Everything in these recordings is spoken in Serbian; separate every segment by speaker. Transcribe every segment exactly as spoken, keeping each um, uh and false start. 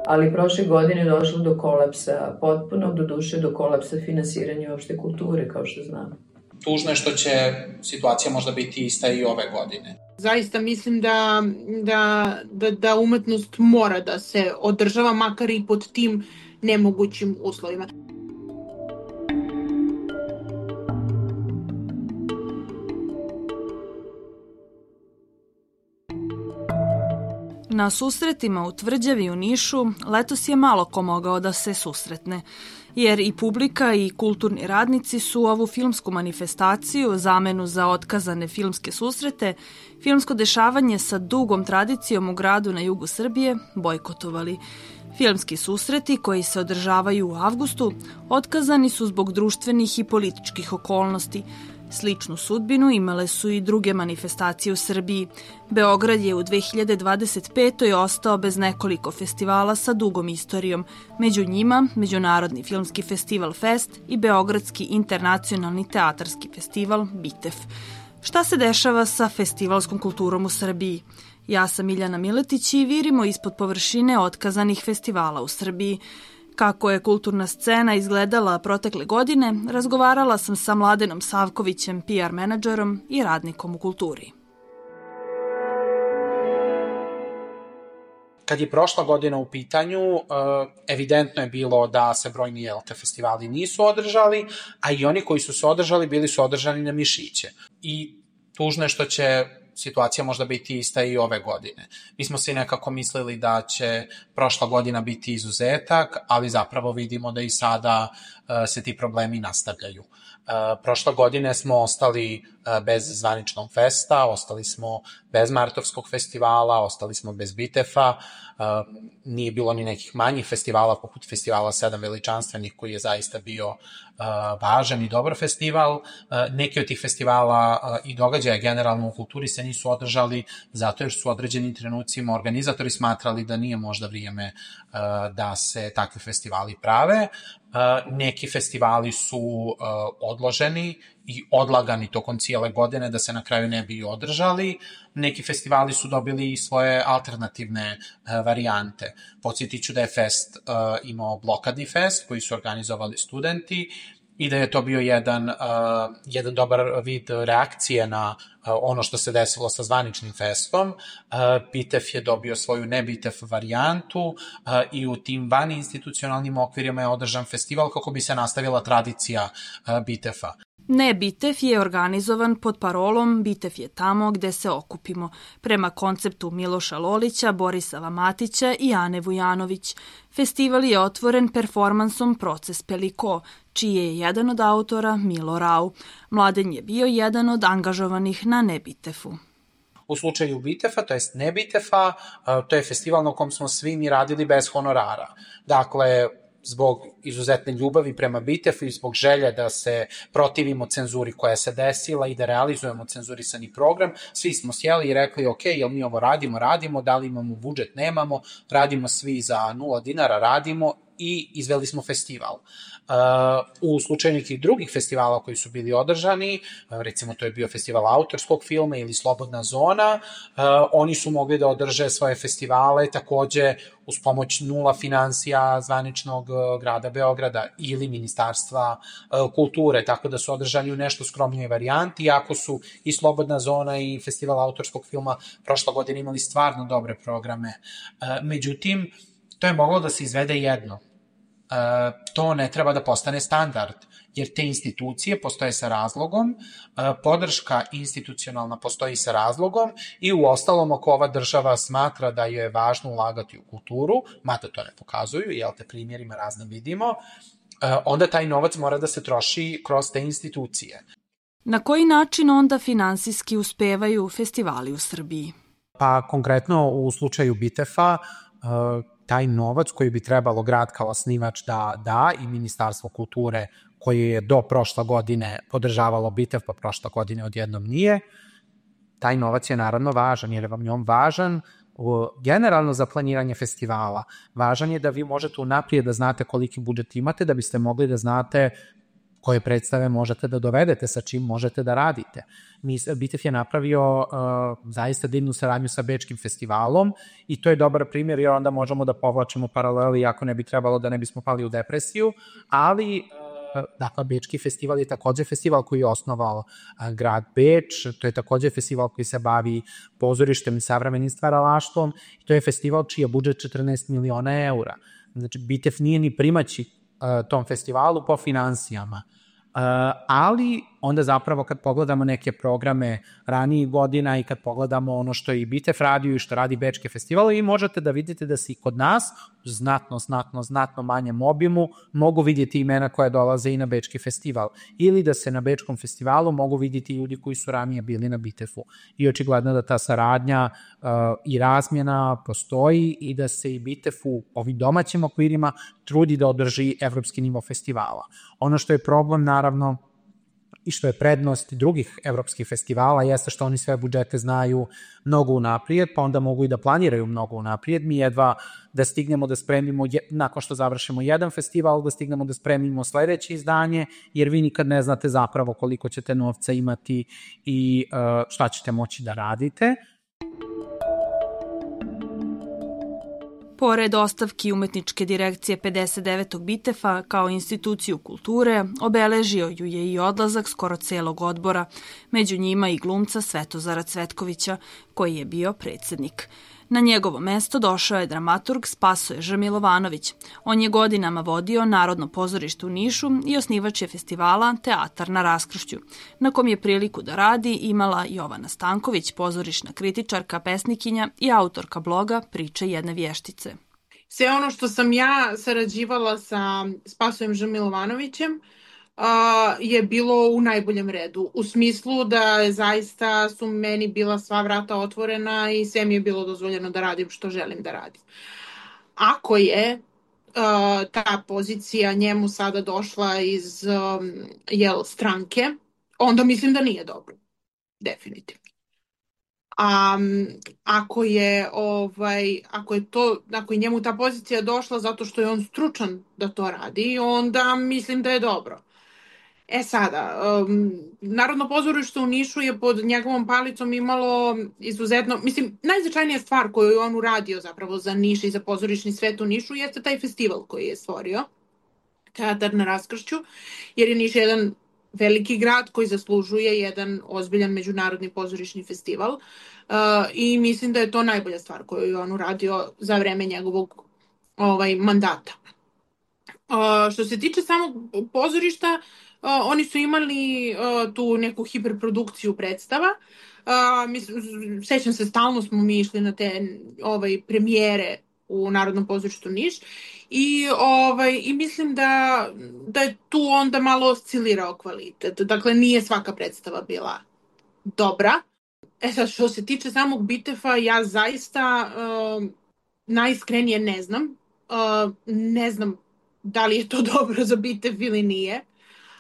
Speaker 1: ali prošle godine je došlo do kolapsa potpunog, do duše do kolapsa finansiranja uopšte kulture, kao što znamo.
Speaker 2: Tužno je što će situacija možda biti ista i ove godine.
Speaker 3: Zaista mislim da, da, da, da umetnost mora da se održava, makar i pod tim nemogućim uslovima.
Speaker 4: Na susretima u Tvrđavi u Nišu letos je malo ko mogao da se susretne, jer i publika i kulturni radnici su ovu filmsku manifestaciju, zamenu za otkazane filmske susrete, filmsko dešavanje sa dugom tradicijom u gradu na jugu Srbije, bojkotovali. Filmski susreti, koji se održavaju u avgustu, otkazani su zbog društvenih i političkih okolnosti. Sličnu sudbinu imale su i druge manifestacije u Srbiji. Beograd je u dve hiljade dvadeset petoj. ostao bez nekoliko festivala sa dugom istorijom. Među njima Međunarodni filmski festival Fest i Beogradski internacionalni teatarski festival Bitef. Šta se dešava sa festivalskom kulturom u Srbiji? Ja sam Miljana Miletić i virimo ispod površine otkazanih festivala u Srbiji. Kako je kulturna scena izgledala protekle godine, razgovarala sam sa Mladenom Savkovićem, P R menadžerom i radnikom u kulturi.
Speaker 2: Kad je prošla godina u pitanju, evidentno je bilo da se brojni L T festivali nisu održali, a i oni koji su se održali bili su održani na mišiće. I tužno je što će situacija možda biti ista i ove godine. Mi smo svi nekako mislili da će prošla godina biti izuzetak, ali zapravo vidimo da i sada se ti problemi nastavljaju. Prošle godine smo ostali bez zvaničnog festa, ostali smo bez Martovskog festivala, ostali smo bez Bitefa, nije bilo ni nekih manjih festivala poput festivala Sedam veličanstvenih koji je zaista bio važan i dobar festival. Neki od tih festivala i događaja generalno u kulturi se nisu održali zato jer su u određenim trenucima organizatori smatrali da nije možda vrijeme da se takvi festivali prave. Neki festivali su odloženi i odlagani tokom cijele godine da se na kraju ne bi održali. Neki festivali su dobili i svoje alternativne varijante. Podsjetit ću da je Fest imao blokadni fest koji su organizovali studenti i da je to bio jedan, uh, jedan dobar vid reakcije na uh, ono što se desilo sa zvaničnim festom. Uh, Bitef je dobio svoju ne-Bitef varijantu uh, i u tim vaninstitucionalnim okvirima je održan festival kako bi se nastavila tradicija uh, Bitefa.
Speaker 4: Ne Bitef je organizovan pod parolom Bitef je tamo gde se okupimo, prema konceptu Miloša Lolića, Borisava Matića i Ane Vujanović. Festival je otvoren performansom Proces Peliko, čiji je jedan od autora Milo Rau. Mladen je bio jedan od angažovanih na Ne Bitefu.
Speaker 2: U slučaju Bitefa, to jest ne Bitefa, to je festival na kom smo svi mi radili bez honorara. Dakle, zbog izuzetne ljubavi prema Bitefu i zbog želje da se protivimo cenzuri koja se desila i da realizujemo cenzurisani program, svi smo sjeli i rekli, ok, jel mi ovo radimo, radimo, da li imamo budžet, nemamo, radimo svi za nula dinara, radimo i izveli smo festival. U slučaju nekih drugih festivala koji su bili održani, recimo to je bio festival autorskog filma ili Slobodna zona, oni su mogli da održe svoje festivale takođe uz pomoć nula finansija zvaničnog grada Beograda ili Ministarstva kulture, tako da su održani u nešto skromnijoj varijanti, iako su i Slobodna zona i festival autorskog filma prošla godina imali stvarno dobre programe. Međutim, to je moglo da se izvede jedno. To ne treba da postane standard, jer te institucije postoje sa razlogom, podrška institucionalna postoji sa razlogom i u ostalom ako ova država smatra da je važno ulagati u kulturu, mada to ne pokazuju, jel te primjerima razne vidimo, onda taj novac mora da se troši kroz te institucije.
Speaker 4: Na koji način onda finansijski uspevaju festivali u Srbiji?
Speaker 2: Pa konkretno u slučaju Bitefa, taj novac koji bi trebalo grad kao osnivač da da i Ministarstvo kulture koje je do prošle godine podržavalo Bitef, pa prošle godine odjednom nije, taj novac je naravno važan, jer je vam njom važan generalno za planiranje festivala. Važan je da vi možete unaprijed da znate koliki budžet imate, da biste mogli da znate koje predstave možete da dovedete, sa čim možete da radite. Bitev je napravio uh, zaista divnu saradnju sa Bečkim festivalom i to je dobar primjer jer onda možemo da povlačimo paraleli ako ne bi trebalo da ne bismo pali u depresiju, ali uh, dakle, Bečki festival je takođe festival koji je osnovao uh, grad Beč, to je takođe festival koji se bavi pozorištem i savremenim stvaralaštvom i to je festival čiji je budžet četrnaest miliona eura. Znači, Bitev nije ni primaći uh, tom festivalu po finansijama. Uh, ali onda zapravo kad pogledamo neke programe ranijih godina i kad pogledamo ono što je i Bitev radio i što radi Bečki festival, i možete da vidite da se i kod nas znatno, znatno, znatno manjem obimu mogu vidjeti imena koja dolaze i na Bečki festival. Ili da se na Bečkom festivalu mogu vidjeti ljudi koji su ranije bili na Bitefu. I očigledno da ta saradnja uh, i razmjena postoji i da se i Bitev u ovim domaćim okvirima trudi da održi evropski nivo festivala. Ono što je problem, naravno, i što je prednost drugih evropskih festivala jeste što oni sve budžete znaju mnogo unaprijed, pa onda mogu i da planiraju mnogo unaprijed. Mi jedva da stignemo da spremimo, nakon što završimo jedan festival, da stignemo da spremimo sledeće izdanje, jer vi nikad ne znate zapravo koliko ćete novca imati i šta ćete moći da radite.
Speaker 4: Pored ostavki Umetničke direkcije pedeset devetog Bitefa kao instituciju kulture, obeležio ju je i odlazak skoro celog odbora, među njima i glumca Svetozara Cvetkovića, koji je bio predsednik. Na njegovo mesto došao je dramaturg Spasoje Ž. Milovanović. On je godinama vodio Narodno pozorište u Nišu i osnivač je festivala Teatar na raskršću, na kom je priliku da radi imala Jovana Stanković, pozorišna kritičarka, pesnikinja i autorka bloga Priče jedne vještice.
Speaker 3: Sve ono što sam ja sarađivala sa Spasojem Ž. Milovanovićem je bilo u najboljem redu. U smislu da zaista su meni bila sva vrata otvorena i sve mi je bilo dozvoljeno da radim što želim da radim. Ako je uh, ta pozicija njemu sada došla iz um, jel, stranke, onda mislim da nije dobro. Definitivno. A um, ako je ovaj ako je to ako je njemu ta pozicija došla zato što je on stručan da to radi, onda mislim da je dobro. E sada, um, Narodno pozorište u Nišu je pod njegovom palicom imalo izuzetno, mislim, najznačajnija stvar koju je on uradio zapravo za Niš i za pozorišni svet u Nišu jeste taj festival koji je stvorio, Teatar na raskršću, jer je Niš jedan veliki grad koji zaslužuje jedan ozbiljan međunarodni pozorišni festival uh, i mislim da je to najbolja stvar koju je on uradio za vreme njegovog ovaj, mandata. Uh, što se tiče samog pozorišta, Uh, oni su imali uh, tu neku hiperprodukciju predstava. Uh, mislim, sećam se, stalno smo mi išli na te ovaj, premijere u Narodnom pozorištu Niš i, ovaj, i mislim da, da je tu onda malo oscilirao kvalitet. Dakle, nije svaka predstava bila dobra. E sad, što se tiče samog Bitefa, ja zaista uh, najiskrenije ne znam. Uh, ne znam da li je to dobro za Bitev ili nije,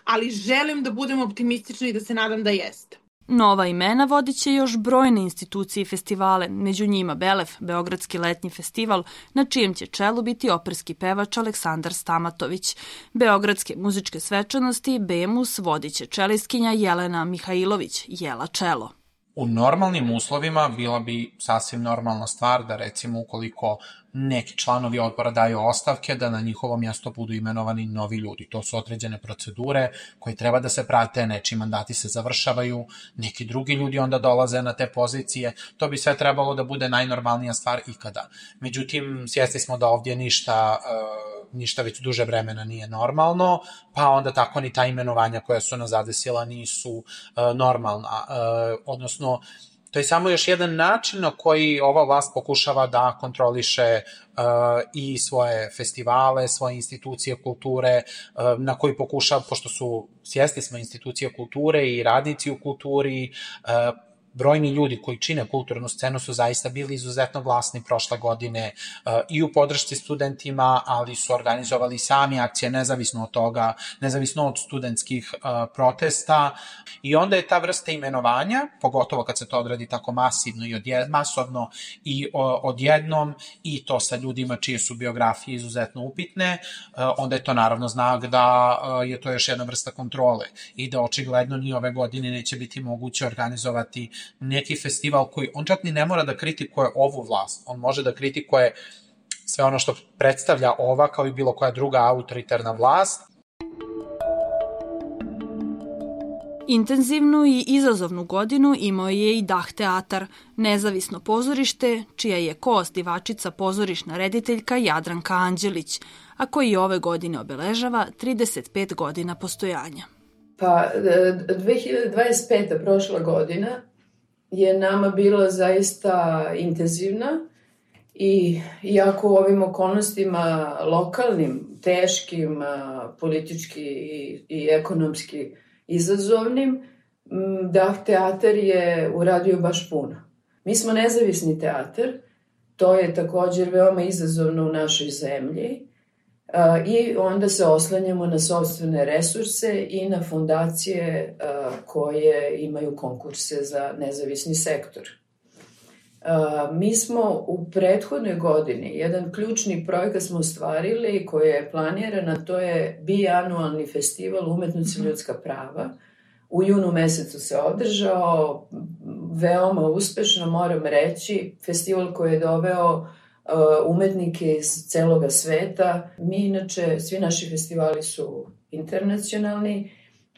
Speaker 3: ali želim da budem optimistična i da se nadam da jeste.
Speaker 4: Nova imena vodit će još brojne institucije i festivale, među njima Belef, Beogradski letnji festival, na čijem će čelu biti operski pevač Aleksandar Stamatović. Beogradske muzičke svečanosti Bemus vodit će čelistkinja Jelena Mihajlović, Jela čelo.
Speaker 2: U normalnim uslovima bila bi sasvim normalna stvar da, recimo, ukoliko neki članovi odbora daju ostavke, da na njihovo mjesto budu imenovani novi ljudi. To su određene procedure koje treba da se prate, nečiji mandati se završavaju, neki drugi ljudi onda dolaze na te pozicije. To bi sve trebalo da bude najnormalnija stvar ikada. Međutim, svjesni smo da ovdje ništa... Uh, ništa već duže vremena nije normalno, pa onda tako ni ta imenovanja koja su nas zadesila nisu uh, normalna. Uh, odnosno, to je samo još jedan način na koji ova vlast pokušava da kontroliše uh, i svoje festivale, svoje institucije kulture, uh, na koji pokušava, pošto su svjesni smo institucije kulture i radnici u kulturi, uh, brojni ljudi koji čine kulturnu scenu su zaista bili izuzetno glasni prošle godine i u podršci studentima, ali su organizovali sami akcije nezavisno od toga, nezavisno od studentskih protesta i onda je ta vrsta imenovanja, pogotovo kad se to odradi tako masivno i odjed, masovno i odjednom i to sa ljudima čije su biografije izuzetno upitne, onda je to naravno znak da je to još jedna vrsta kontrole i da očigledno ni ove godine neće biti moguće organizovati neki festival koji, on čak ni ne mora da kritikuje ovu vlast, on može da kritikuje sve ono što predstavlja ova kao i bilo koja druga autoritarna vlast.
Speaker 4: Intenzivnu i izazovnu godinu imao je i Dah teatar, nezavisno pozorište, čija je koosnivačica pozorišna rediteljka Jadranka Anđelić, a koji ove godine obeležava trideset pet godina postojanja.
Speaker 1: Pa, dve hiljade dvadeset peta prošla godina je nama bila zaista intenzivna i iako u ovim okolnostima lokalnim, teškim, politički i, i ekonomski izazovnim, Dah teatar je uradio baš puno. Mi smo nezavisni teatar, to je također veoma izazovno u našoj zemlji i onda se oslanjamo na sopstvene resurse i na fondacije koje imaju konkurse za nezavisni sektor. Mi smo u prethodnoj godini, jedan ključni projekat smo ostvarili koji je planiran, to je bianualni festival Umetnost i ljudska prava. U junu mesecu se održao, veoma uspešno moram reći, festival koji je doveo umetnike iz celoga sveta. Mi inače, svi naši festivali su internacionalni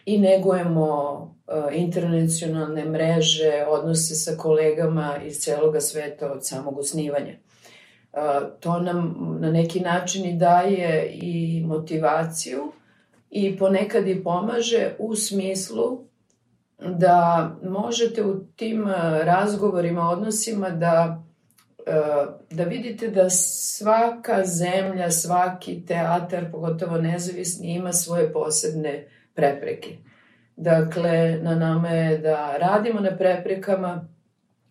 Speaker 1: i negujemo internacionalne mreže, odnose sa kolegama iz celoga sveta od samog osnivanja. To nam na neki način i daje i motivaciju i ponekad i pomaže u smislu da možete u tim razgovorima, odnosima da, da vidite da svaka zemlja, svaki teatar, pogotovo nezavisni, ima svoje posebne prepreke. Dakle, na nama je da radimo na preprekama,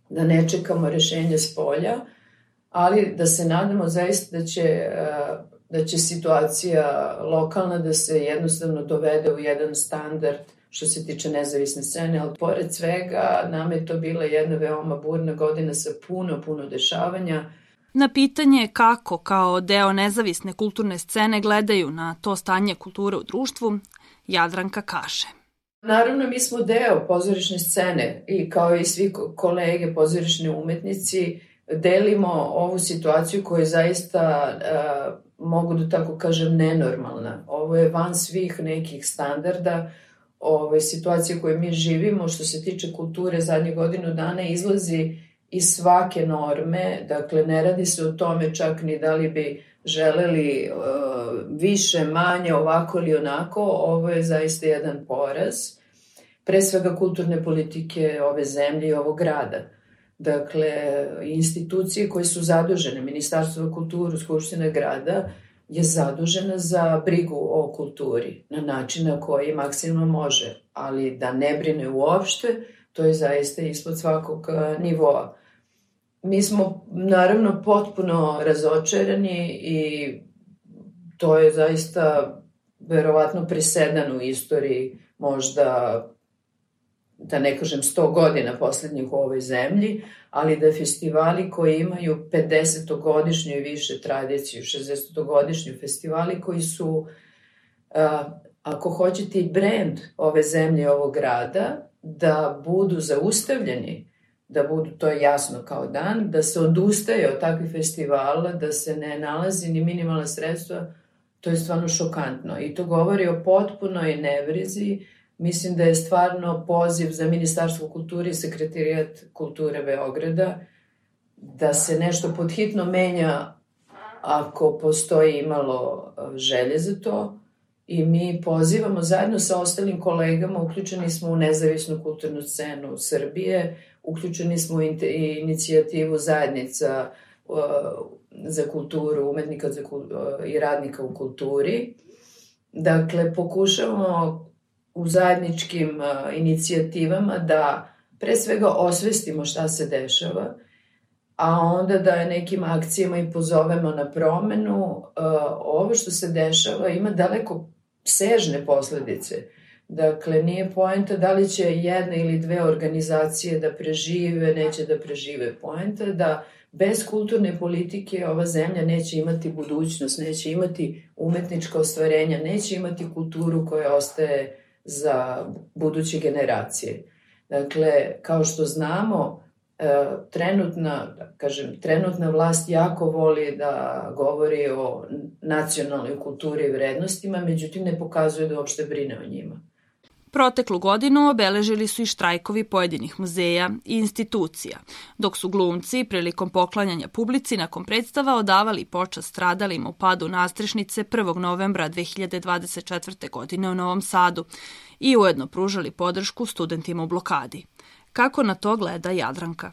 Speaker 1: da ne čekamo rešenje s polja, ali da se nadamo zaista da će, da će situacija lokalna da se jednostavno dovede u jedan standard što se tiče nezavisne scene, ali pored svega nam je to bila jedna veoma burna godina sa puno, puno dešavanja.
Speaker 4: Na pitanje kako kao deo nezavisne kulturne scene gledaju na to stanje kulture u društvu, Jadranka kaže.
Speaker 1: Naravno, mi smo deo pozorišne scene i kao i svi kolege pozorišni umetnici delimo ovu situaciju koja je zaista, uh, mogu da tako kažem, nenormalna. Ovo je van svih nekih standarda. Ove situacije koje mi živimo što se tiče kulture zadnjih godinu dana izlazi iz svake norme. Dakle, ne radi se o tome čak ni da li bi želeli uh, više, manje, ovako ili onako. Ovo je zaista jedan poraz. Pre svega kulturne politike ove zemlje i ovog grada. Dakle, institucije koje su zadužene, Ministarstvo za kulturu, Skupština grada, je zadužena za brigu o kulturi na način na koji maksimalno može, ali da ne brine uopšte, to je zaista ispod svakog nivoa. Mi smo naravno potpuno razočarani i to je zaista verovatno presedan u istoriji, možda da ne kažem sto godina poslednjih u ovoj zemlji, ali da festivali koji imaju pedesetogodišnju i više tradiciju, šezdesetogodišnju festivali koji su, ako hoćete, i brend ove zemlje, ovog grada, da budu zaustavljeni, da budu, to je jasno kao dan, da se odustaje od takvih festivala, da se ne nalazi ni minimalna sredstva, to je stvarno šokantno. I to govori o potpunoj nevrizi. Mislim da je stvarno poziv za Ministarstvo kulture i Sekretarijat kulture Beograda da se nešto podhitno menja ako postoji imalo želje za to i mi pozivamo zajedno sa ostalim kolegama, uključeni smo u nezavisnu kulturnu scenu Srbije, uključeni smo u inicijativu zajednica za kulturu, umetnika i radnika u kulturi. Dakle, pokušavamo u zajedničkim inicijativama da pre svega osvestimo šta se dešava, a onda da nekim akcijama i pozovemo na promenu. Ovo što se dešava ima daleko sežne posledice. Dakle, nije poenta da li će jedna ili dve organizacije da prežive, neće da prežive. Poenta da bez kulturne politike ova zemlja neće imati budućnost, neće imati umetnička ostvarenja, neće imati kulturu koja ostaje za buduće generacije. Dakle, kao što znamo, trenutna, da kažem, trenutna vlast jako voli da govori o nacionalnoj kulturi i vrednostima, međutim ne pokazuje da uopšte brine o njima.
Speaker 4: Proteklu godinu obeležili su i štrajkovi pojedinih muzeja i institucija, dok su glumci prilikom poklanjanja publici nakon predstava odavali počast stradalima u padu nastrešnice prvog novembra dve hiljade dvadeset četvrte. godine u Novom Sadu i ujedno pružali podršku studentima u blokadi. Kako na to gleda Jadranka?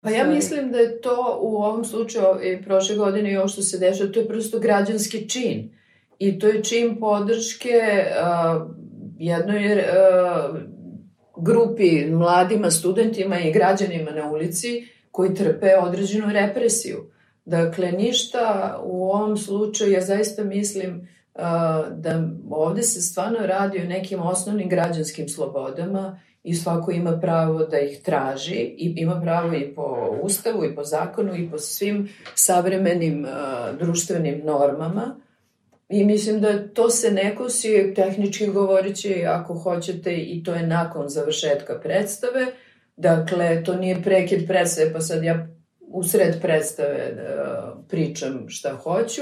Speaker 1: Pa ja mislim da je to u ovom slučaju i prošle godine i ovo što se dešava, to je prosto građanski čin. I to je čin podrške uh, jednoj uh, grupi mladima, studentima i građanima na ulici koji trpe određenu represiju. Dakle, ništa u ovom slučaju, ja zaista mislim uh, da ovde se stvarno radi o nekim osnovnim građanskim slobodama i svako ima pravo da ih traži i ima pravo i po ustavu i po zakonu i po svim savremenim uh, društvenim normama. I mislim da to se ne kosi, tehnički govoreći, ako hoćete, i to je nakon završetka predstave. Dakle, to nije prekid predstave, pa sad ja usred predstave uh, pričam šta hoću.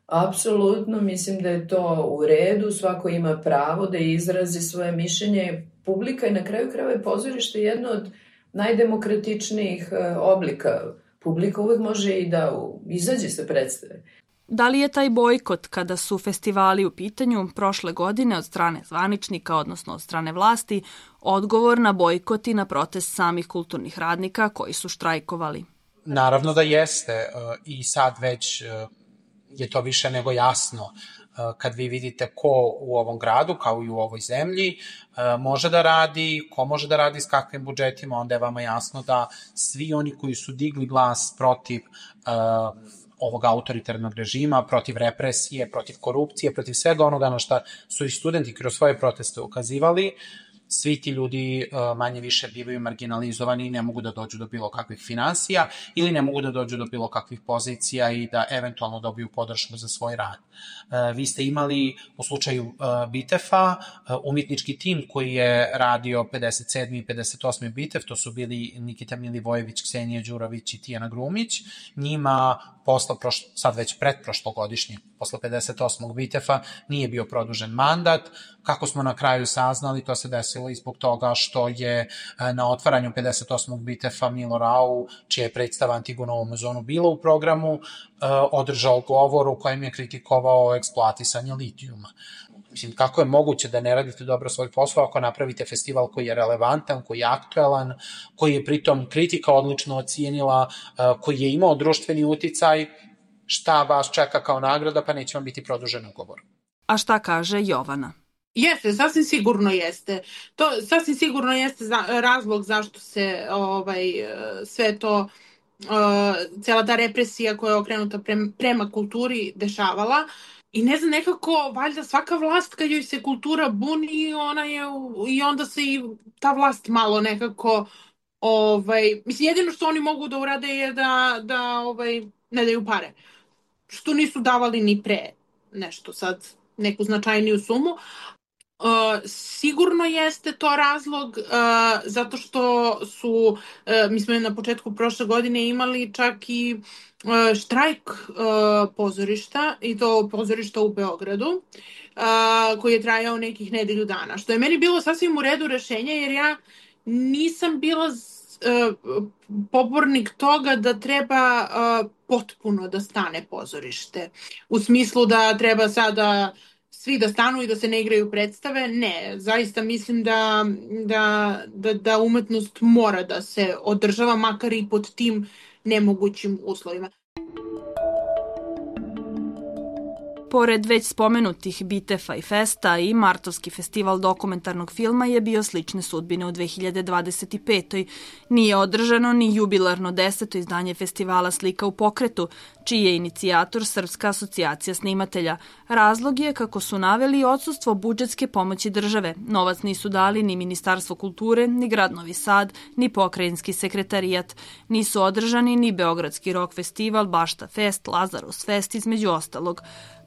Speaker 1: Apsolutno mislim da je to u redu, svako ima pravo da izrazi svoje mišljenje. Publika je na kraju krajeva pozorište jedno od najdemokratičnijih oblika. Publika uvek može i da izađe sa predstave.
Speaker 4: Da li je taj bojkot kada su festivali u pitanju prošle godine od strane zvaničnika, odnosno od strane vlasti, odgovor na bojkot i na protest samih kulturnih radnika koji su štrajkovali?
Speaker 2: Naravno da jeste i sad već je to više nego jasno. Kad vi vidite ko u ovom gradu, kao i u ovoj zemlji, može da radi, ko može da radi s kakvim budžetima, onda je vama jasno da svi oni koji su digli glas protiv uh, ovog autoritarnog režima, protiv represije, protiv korupcije, protiv svega onoga na šta su i studenti kroz svoje proteste ukazivali, svi ti ljudi uh, manje više bivaju marginalizovani i ne mogu da dođu do bilo kakvih finansija ili ne mogu da dođu do bilo kakvih pozicija i da eventualno dobiju podršku za svoj rad. Uh, vi ste imali u slučaju uh, Bitefa uh, umjetnički tim koji je radio pedeset sedmi i pedeset osmi Bitef, to su bili Nikita Milivojević, Ksenija Đurović i Tijana Grumić. Njima posle, prošlo, sad već pretprošlogodišnje, posle pedeset osmog Bitefa, nije bio produžen mandat. Kako smo na kraju saznali, to se desilo i zbog toga što je na otvaranju pedeset osmog Bitefa Milo Rau, čija je predstava Antigona u Amazonu bila u programu, održao govor u kojem je kritikovao eksploatisanje litijuma. Mislim, kako je moguće da ne radite dobro svoj posao ako napravite festival koji je relevantan, koji je aktuelan, koji je pritom kritika odlično ocijenila, koji je imao društveni uticaj, šta vas čeka kao nagrada, pa neće vam biti produžen ugovor.
Speaker 4: A šta kaže Jovana?
Speaker 3: Jeste, sasvim sigurno jeste. To sasvim sigurno jeste za, razlog zašto se ovaj, sve to, uh, cela ta represija koja je okrenuta prema, prema kulturi dešavala. I ne znam, nekako, valjda svaka vlast kad joj se kultura buni, ona je, i onda se i ta vlast malo nekako, ovaj, mislim, jedino što oni mogu da urade je da, da ovaj, ne daju pare. Što nisu davali ni pre nešto sad, neku značajniju sumu. Uh, sigurno jeste to razlog uh, zato što su, uh, mi smo na početku prošle godine imali čak i uh, štrajk uh, pozorišta, i to pozorišta u Beogradu, uh, koji je trajao nekih nedelju dana, što je meni bilo sasvim u redu rešenje, jer ja nisam bila uh, pobornik toga da treba uh, potpuno da stane pozorište, u smislu da treba sada svi da stanu i da se ne igraju predstave. Ne, zaista mislim da, da, da, da umetnost mora da se održava, makar i pod tim nemogućim uslovima.
Speaker 4: Pored već spomenutih Bitefa i Festa i Martovski festival dokumentarnog filma je bio slične sudbine u dve hiljade dvadeset petoj. Nije održano ni jubilarno deseto izdanje festivala Slika u pokretu, čiji je inicijator Srpska asocijacija snimatelja. Razlog je, kako su naveli, odsustvo budžetske pomoći države. Novac nisu dali ni Ministarstvo kulture, ni grad Novi Sad, ni pokrajinski sekretarijat. Nisu održani ni Beogradski rock festival, Bašta Fest, Lazarus Fest, između ostalog.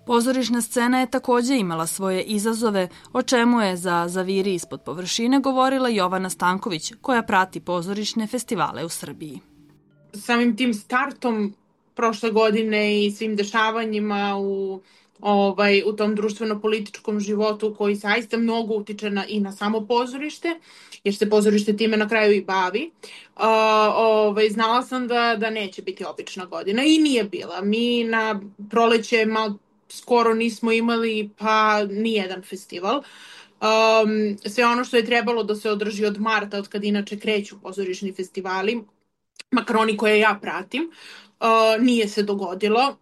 Speaker 4: Pozorišna scena je takođe imala svoje izazove, o čemu je za Zaviri ispod površine govorila Jovana Stanković, koja prati pozorišne festivale u Srbiji.
Speaker 3: Samim tim startom prošle godine i svim dešavanjima u, ovaj, u tom društveno-političkom životu koji zaista mnogo utiče na, i na samo pozorište, jer se pozorište time na kraju i bavi, uh, ovaj, znala sam da, da neće biti obična godina i nije bila. Mi na proleće malo skoro nismo imali pa nijedan festival. Um, sve ono što je trebalo da se održi od marta, od kad inače kreću pozorišni festivali, makar oni koje ja pratim, uh, nije se dogodilo.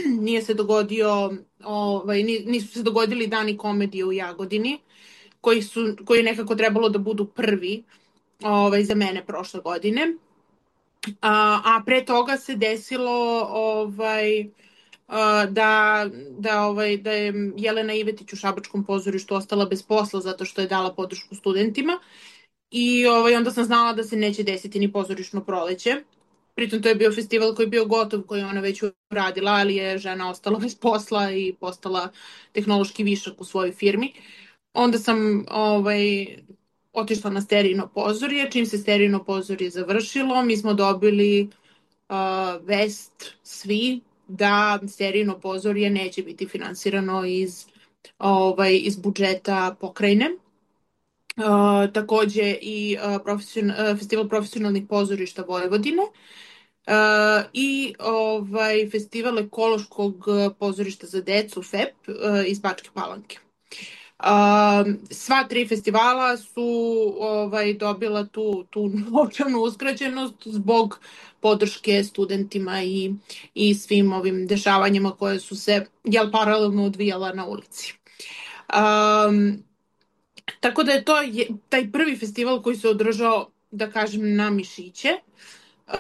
Speaker 3: Nije se dogodio, ovaj, nisu se dogodili dani komedije u Jagodini, koji su, koji je nekako trebalo da budu prvi ovaj, za mene prošle godine. A, a pre toga se desilo ovaj, da, da, ovaj, da je Jelena Ivetić u Šabačkom pozorištu ostala bez posla zato što je dala podršku studentima i ovaj, onda sam znala da se neće desiti ni pozorišno proleće. Pritom to je bio festival koji je bio gotov, koji je ona već uradila, ali je žena ostala bez posla i postala tehnološki višak u svojoj firmi. Onda sam ovaj, otišla na Sterijino pozorje. Čim se Sterijino pozorje završilo, mi smo dobili uh, vest svi da Sterijino pozorje neće biti finansirano iz, ovaj, iz budžeta pokrajine. Uh, takođe i uh, profesion, uh, festival profesionalnih pozorišta Vojvodine uh, i ovaj, festival ekološkog pozorišta za decu F E P uh, iz Bačke Palanke. Uh, sva tri festivala su ovaj, dobila tu, tu novčanu uskraćenost zbog podrške studentima i, i svim ovim dešavanjima koje su se jel, paralelno odvijala na ulici. Um, Tako da je to je, taj prvi festival koji se održao, da kažem, na mišiće uh,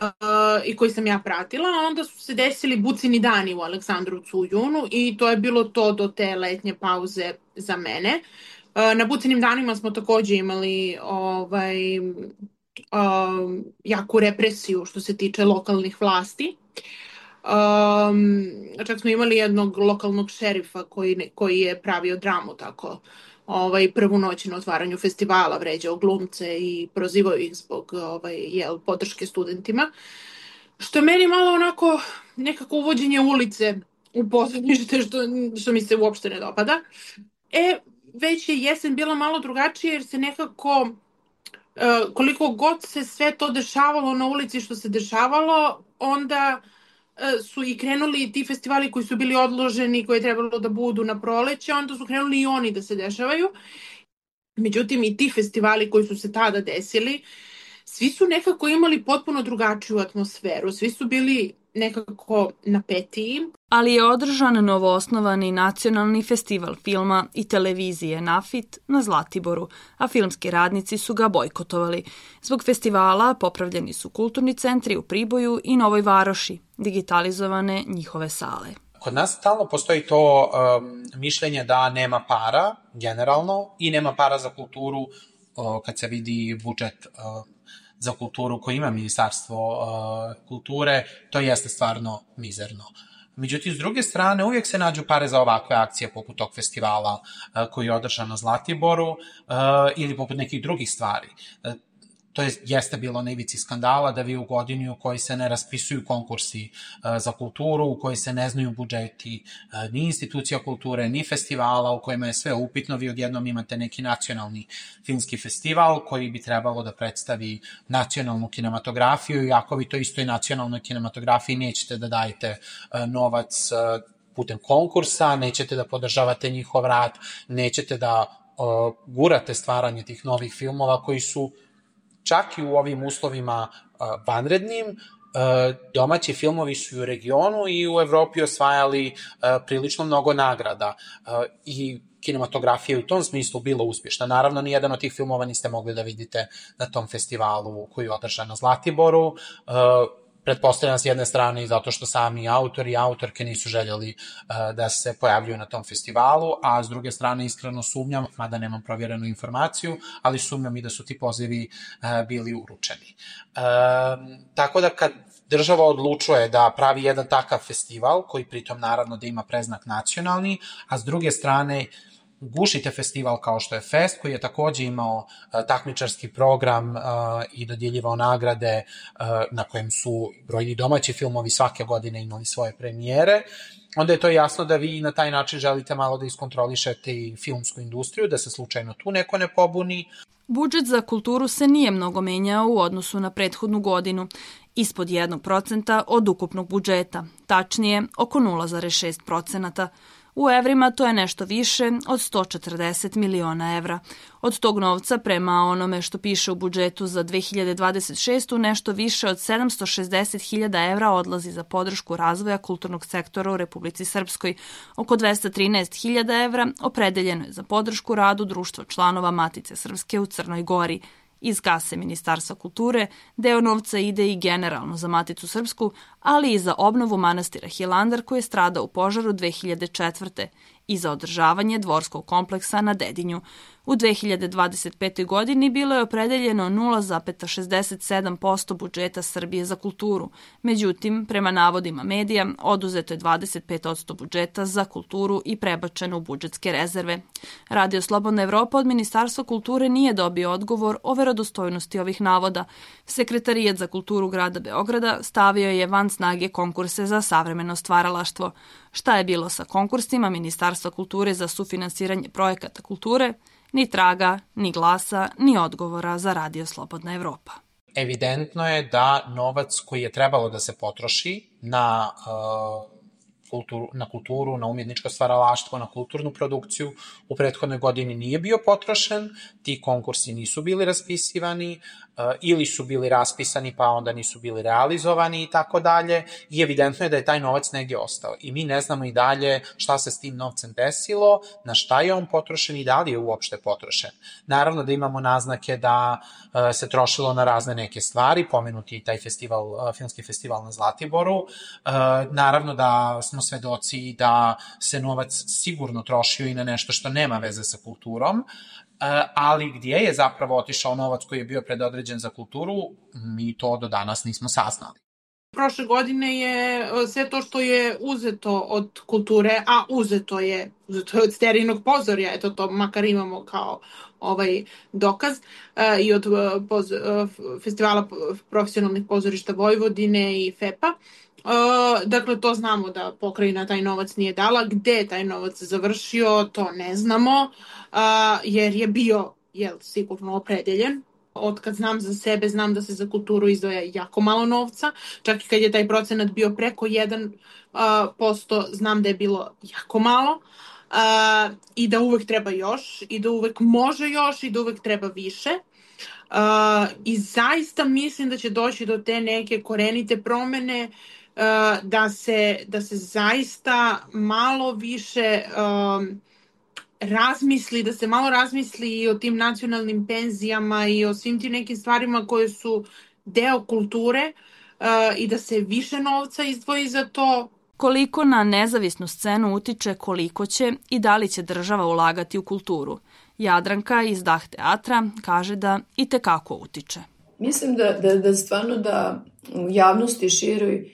Speaker 3: i koji sam ja pratila. Onda su se desili Bucini dani u Aleksandrovcu u junu i to je bilo to do te letnje pauze za mene. Uh, na Bucinim danima smo takođe imali ovaj, uh, jaku represiju što se tiče lokalnih vlasti. Um, čak smo imali jednog lokalnog šerifa koji, koji je pravio dramu tako ovaj, prvu noć na otvaranju festivala, vređao glumce i prozivao ih zbog ovaj, jel, podrške studentima. Što je meni malo onako nekako uvođenje ulice u pozorište, što, što mi se uopšte ne dopada. E, već je jesen bila malo drugačija jer se nekako, koliko god se sve to dešavalo na ulici što se dešavalo, onda su i krenuli ti festivali koji su bili odloženi, koji je trebalo da budu na proleće, onda su krenuli i oni da se dešavaju. Međutim, i ti festivali koji su se tada desili, svi su nekako imali potpuno drugačiju atmosferu, svi su bili nekako napetiji.
Speaker 4: Ali je održan novoosnovani nacionalni festival filma i televizije Nafit na Zlatiboru, a filmski radnici su ga bojkotovali. Zbog festivala popravljeni su kulturni centri u Priboju i Novoj Varoši, digitalizovane njihove sale.
Speaker 2: Kod nas stalno postoji to um, mišljenje da nema para, generalno, i nema para za kulturu uh, kad se vidi budžet uh, za kulturu koji ima Ministarstvo uh, kulture, to jeste stvarno mizerno. Međutim, s druge strane, uvijek se nađu pare za ovakve akcije poput tog festivala uh, koji je održan na Zlatiboru uh, ili poput nekih drugih stvari. Uh, to je, jeste bilo na ivici skandala da vi u godini u kojoj se ne raspisuju konkursi uh, za kulturu, u kojoj se ne znaju budžeti uh, ni institucija kulture, ni festivala, u kojima je sve upitno, vi odjednom imate neki nacionalni filmski festival koji bi trebalo da predstavi nacionalnu kinematografiju, i ako vi to istoj nacionalnoj kinematografiji nećete da dajete uh, novac uh, putem konkursa, nećete da podržavate njihov rad, nećete da uh, gurate stvaranje tih novih filmova koji su čak i u ovim uslovima uh, vanrednim, domaći filmovi su i u regionu i u Evropi osvajali prilično mnogo nagrada i kinematografija u tom smislu bila uspješna. Naravno, nijedan od tih filmova niste mogli da vidite na tom festivalu koji je održan na Zlatiboru. Pretpostavljam s jedne strane i zato što sami autori i autorke nisu željeli da se pojavljuju na tom festivalu, a s druge strane iskreno sumnjam, mada nemam provjerenu informaciju, ali sumnjam i da su ti pozivi bili uručeni. Tako da kad država odlučuje da pravi jedan takav festival, koji pritom naravno da ima preznak nacionalni, a s druge strane gušite festival kao što je Fest, koji je takođe imao uh, takmičarski program uh, i dodjeljivao nagrade uh, na kojem su brojni domaći filmovi svake godine imali svoje premijere, onda je to jasno da vi na taj način želite malo da iskontrolišete i filmsku industriju, da se slučajno tu neko ne pobuni.
Speaker 4: Budžet za kulturu se nije mnogo menjao u odnosu na prethodnu godinu, ispod jednog procenta od ukupnog budžeta, tačnije oko nula zarez šest procenta. U evrima to je nešto više od sto četrdeset miliona evra. Od tog novca, prema onome što piše u budžetu za dve hiljade dvadeset šestu. nešto više od sedamsto šezdeset hiljada evra odlazi za podršku razvoja kulturnog sektora u Republici Srpskoj. Oko dvesta trinaest hiljada evra opredeljeno je za podršku radu društva članova Matice Srpske u Crnoj Gori. Iz kase Ministarstva kulture deo novca ide i generalno za Maticu Srpsku, ali i za obnovu manastira Hilandar koji je stradao u požaru dve hiljade četvrte. i za održavanje dvorskog kompleksa na Dedinju. U dve hiljade dvadeset petoj. godini bilo je opredeljeno nula zarez šezdeset sedam posto budžeta Srbije za kulturu. Međutim, prema navodima medija, oduzeto je dvadeset pet posto budžeta za kulturu i prebačeno u budžetske rezerve. Radio Slobodna Evropa od Ministarstva kulture nije dobio odgovor o verodostojnosti ovih navoda. Sekretarijat za kulturu grada Beograda stavio je van snage konkurse za savremeno stvaralaštvo. Šta je bilo sa konkursima Ministarstva kulture za sufinansiranje projekata kulture? Ni traga, ni glasa, ni odgovora za Radio Slobodna Evropa.
Speaker 2: Evidentno je da novac koji je trebalo da se potroši na, uh, kulturu, na kulturu, na umjetničko stvaralaštvo, na kulturnu produkciju u prethodnoj godini nije bio potrošen, ti konkursi nisu bili raspisivani uh, ili su bili raspisani pa onda nisu bili realizovani i tako dalje i evidentno je da je taj novac negdje ostao i mi ne znamo i dalje šta se s tim novcem desilo, na šta je on potrošen i da li je uopšte potrošen. Naravno da imamo naznake da uh, se trošilo na razne neke stvari, pomenuti i taj festival, uh, filmski festival na Zlatiboru, uh, naravno da smo svedoci da se novac sigurno trošio i na nešto što nema veze sa kulturom, ali gdje je zapravo otišao novac koji je bio predodređen za kulturu, mi to do danas nismo saznali.
Speaker 3: Prošle godine je sve to što je uzeto od kulture, a uzeto je, uzeto je od Sterinog pozorja, eto to makar imamo kao ovaj dokaz, i od poz, festivala profesionalnih pozorišta Vojvodine i F E P-a. Dakle, to znamo da pokrajina taj novac nije dala. Gde je taj novac završio, to ne znamo, jer je bio, jel, sigurno opredeljen. Od kad znam za sebe, znam da se za kulturu izdvaja jako malo novca. Čak i kad je taj procenat bio preko jedan posto, znam da je bilo jako malo. Uh, i da uvek treba još, i da uvek može još, i da uvek treba više. Uh, I zaista mislim da će doći do te neke korenite promene, uh, da, se, da se zaista malo više um, razmisli, da se malo razmisli i o tim nacionalnim penzijama i o svim tim nekim stvarima koje su deo kulture, uh, i da se više novca izdvoji za to.
Speaker 4: Koliko na nezavisnu scenu utiče koliko će i da li će država ulagati u kulturu? Jadranka iz Dah teatra kaže da i tekako utiče.
Speaker 1: Mislim da, da, da stvarno da u javnosti široj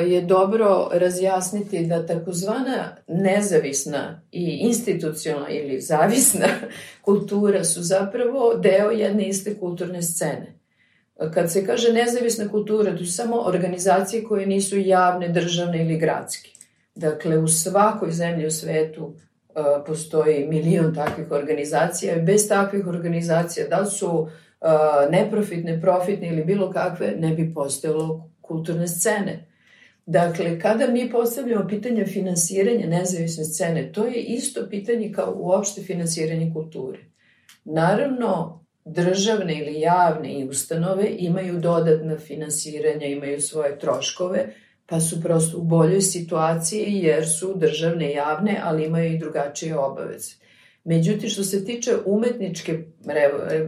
Speaker 1: je dobro razjasniti da takozvana nezavisna i institucionalna ili zavisna kultura su zapravo deo jedne iste kulturne scene. Kad se kaže nezavisna kultura, to su samo organizacije koje nisu javne, državne ili gradske. Dakle, u svakoj zemlji u svetu uh, postoji milion takvih organizacija i bez takvih organizacija, da li su uh, neprofitne, profitne ili bilo kakve, ne bi postojalo kulturne scene. Dakle, kada mi postavljamo pitanje finansiranja nezavisne scene, to je isto pitanje kao uopšte finansiranje kulture. Naravno, državne ili javne i ustanove imaju dodatna finansiranja, imaju svoje troškove, pa su prosto u boljoj situaciji jer su državne i javne, ali imaju i drugačije obaveze. Međutim, što se tiče umetničke,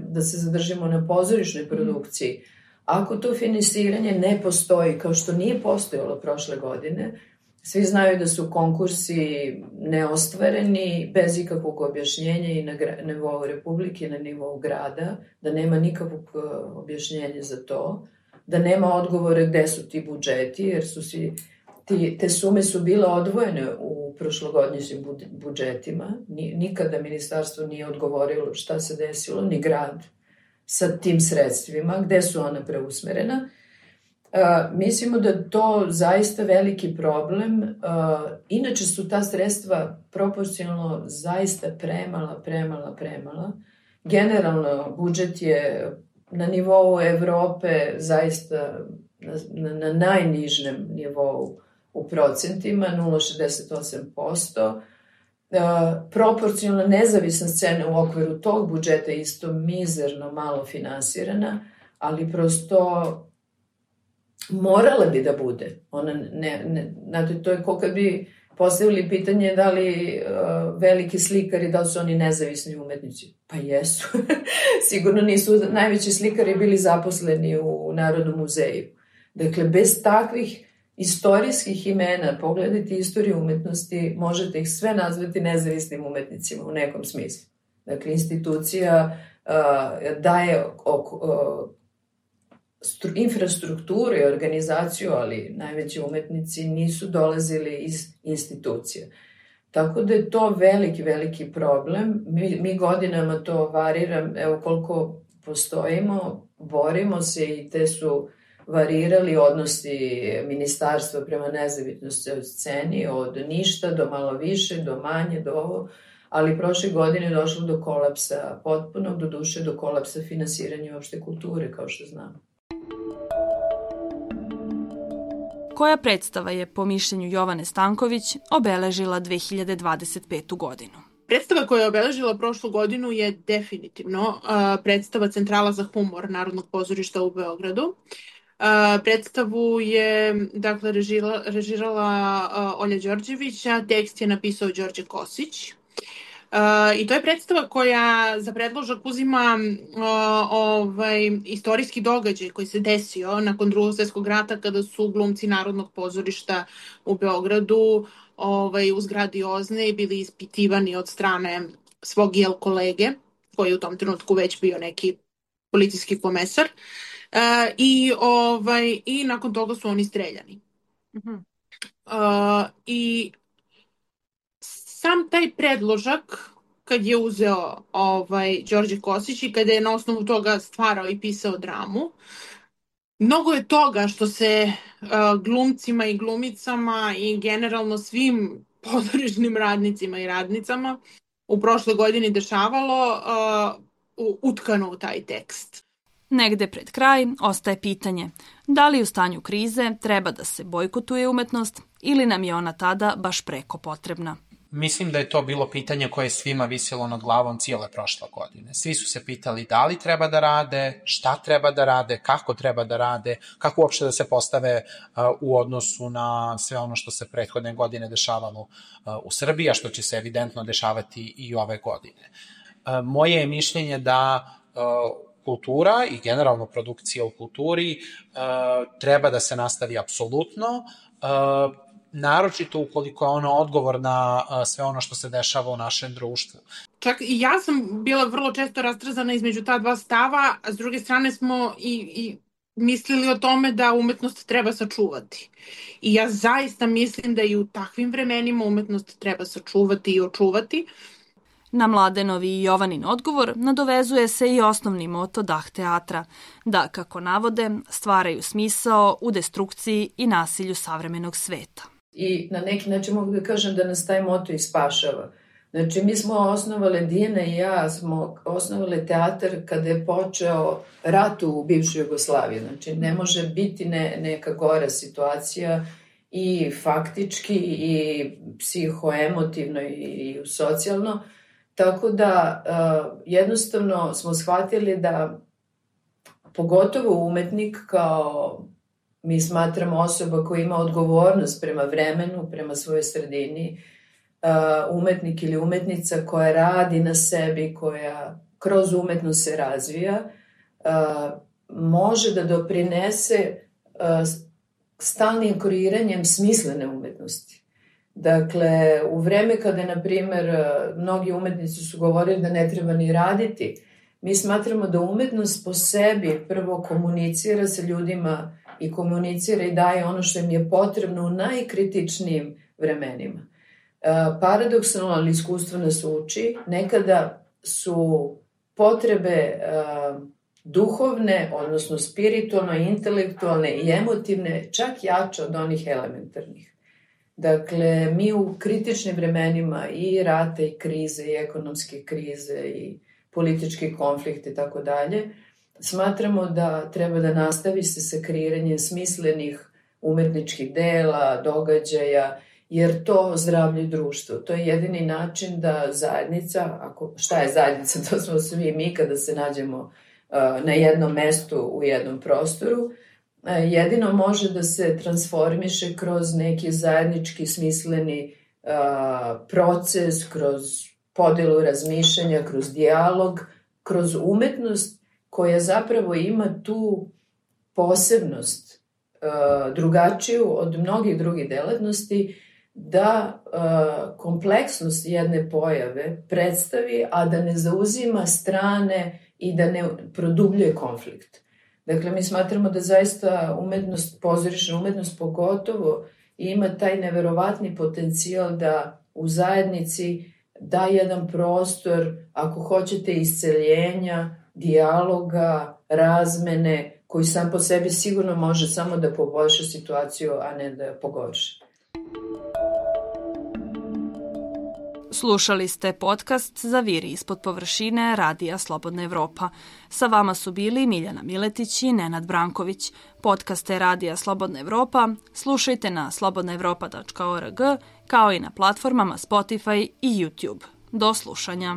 Speaker 1: da se zadržimo na pozorišnoj produkciji, ako to finansiranje ne postoji, kao što nije postojalo prošle godine, svi znaju da su konkursi neostvareni, bez ikakvog objašnjenja i na nivou Republike i na nivou grada, da nema nikakvog objašnjenja za to, da nema odgovore gde su ti budžeti, jer su svi, ti, te sume su bile odvojene u prošlogodnjim budžetima. Nikada ministarstvo nije odgovorilo šta se desilo, ni grad sa tim sredstvima, gde su ona preusmerena. Uh, mislimo da je to zaista veliki problem. Uh, inače su ta sredstva proporcionalno zaista premala, premala, premala. Generalno, budžet je na nivou Evrope zaista na, na, na najnižem nivou u procentima, nula zarez šezdeset osam posto. Uh, proporcionalno nezavisna scena u okviru tog budžeta je isto mizerno malo finansirana, ali prosto morala bi da bude. Ona ne, ne, znate, to je kao kad bi postavili pitanje da li uh, veliki slikari, da li su oni nezavisni umetnici. Pa jesu. Sigurno nisu najveći slikari bili zaposleni u Narodnom muzeju. Dakle, bez takvih istorijskih imena, pogledajte istoriju umetnosti, možete ih sve nazvati nezavisnim umetnicima u nekom smislu. Dakle, institucija uh, daje uh, stru, infrastrukturu i organizaciju, ali najveći umetnici nisu dolazili iz institucija. Tako da je to veliki, veliki problem. Mi, mi godinama to variram, evo koliko postojimo, borimo se i te su varirali odnosi ministarstva prema nezavisnosti od sceni, od ništa do malo više, do manje, do ovo, ali prošle godine je došlo do kolapsa potpunog, do duše do kolapsa finansiranja opšte kulture, kao što znamo.
Speaker 4: Koja predstava je, po mišljenju Jovane Stanković, obeležila dve hiljade dvadeset petu godinu?
Speaker 3: Predstava koja je obeležila prošlu godinu je definitivno uh, predstava Centrala za humor Narodnog pozorišta u Beogradu. Uh, predstavu je, dakle, režira, režirala uh, Olja Đorđević, a tekst je napisao Đorđe Kosić. Uh, I to je predstava koja za predložak uzima uh, ovaj, istorijski događaj koji se desio nakon Drugog svjetskog rata, kada su glumci Narodnog pozorišta u Beogradu ovaj, u zgradi Ozne bili ispitivani od strane svog jel kolege, koji je u tom trenutku već bio neki policijski komesar. Uh, i, ovaj, I nakon toga su oni streljani. Uh-huh. Uh, I sam taj predložak, kad je uzeo ovaj, Đorđe Kosić i kada je na osnovu toga stvarao i pisao dramu, mnogo je toga što se uh, glumcima i glumicama i generalno svim pozorišnim radnicima i radnicama u prošle godini dešavalo uh, utkano u taj tekst.
Speaker 4: Negde pred kraj ostaje pitanje da li u stanju krize treba da se bojkotuje umetnost ili nam je ona tada baš preko potrebna.
Speaker 2: Mislim da je to bilo pitanje koje je svima visilo nad glavom cijele prošle godine. Svi su se pitali da li treba da rade, šta treba da rade, kako treba da rade, kako uopšte da se postave uh, u odnosu na sve ono što se prethodne godine dešavalo uh, u Srbiji, a što će se evidentno dešavati i ove godine. Uh, moje je mišljenje da uh, kultura i generalno produkcija u kulturi uh, treba da se nastavi apsolutno, uh, naročito ukoliko je ona odgovor na uh, sve ono što se dešava u našem društvu.
Speaker 3: Čak i ja sam bila vrlo često rastrzana između ta dva stava, a s druge strane smo i, i mislili o tome da umetnost treba sačuvati. I ja zaista mislim da i u takvim vremenima umetnost treba sačuvati i očuvati.
Speaker 4: Na Mladenovi i Jovanin odgovor nadovezuje se i osnovni moto Dah teatra, da, kako navode, stvaraju smisao u destrukciji i nasilju savremenog sveta.
Speaker 1: I na neki način mogu da kažem da nas taj moto i spašava. Znači, mi smo osnovale, Dijana i ja smo osnovale teatar kada je počeo rat u bivšoj Jugoslaviji. Znači, ne može biti ne, neka gora situacija i faktički i psihoemotivno i, i socijalno. Tako da uh, jednostavno smo shvatili da pogotovo umetnik kao mi smatramo osoba koja ima odgovornost prema vremenu, prema svojoj sredini, uh, umetnik ili umetnica koja radi na sebi, koja kroz umetnost se razvija, uh, može da doprinese uh, stalnim kreiranjem smislene umetnosti. Dakle, u vreme kada, na primer, mnogi umetnici su govorili da ne treba ni raditi, mi smatramo da umetnost po sebi prvo komunicira sa ljudima i komunicira i daje ono što im je potrebno u najkritičnijim vremenima. Paradoksalno, ali iskustvo nas uči, nekada su potrebe duhovne, odnosno spiritualne, intelektualne i emotivne čak jače od onih elementarnih. Dakle, mi u kritičnim vremenima i rata i krize i ekonomske krize i politički konflikt i tako dalje, smatramo da treba da nastavi se sa kreiranjem smislenih umetničkih dela, događaja, jer to ozdravlja društvo. To je jedini način da zajednica, ako, šta je zajednica, to smo svi mi kada se nađemo uh, na jednom mestu u jednom prostoru, uh, jedino može da se transformiše kroz neki zajednički smisleni uh, proces, kroz podelu razmišljanja, kroz dijalog, kroz umetnost koja zapravo ima tu posebnost uh, drugačiju od mnogih drugih delatnosti, da uh, kompleksnost jedne pojave predstavi, a da ne zauzima strane i da ne produbljuje konflikt. Dakle, mi smatramo da zaista umetnost, pozorišna umetnost pogotovo, ima taj neverovatni potencijal da u zajednici da jedan prostor, ako hoćete, isceljenja, dijaloga, razmene, koji sam po sebi sigurno može samo da poboljša situaciju, a ne da je pogorša.
Speaker 4: Slušali ste podcast Zaviri ispod površine Radija Slobodna Evropa. Sa vama su bili Miljana Miletić i Nenad Branković. Podcaste Radija Slobodna Evropa slušajte na slobodna evropa tačka org kao i na platformama Spotify i YouTube. Do slušanja.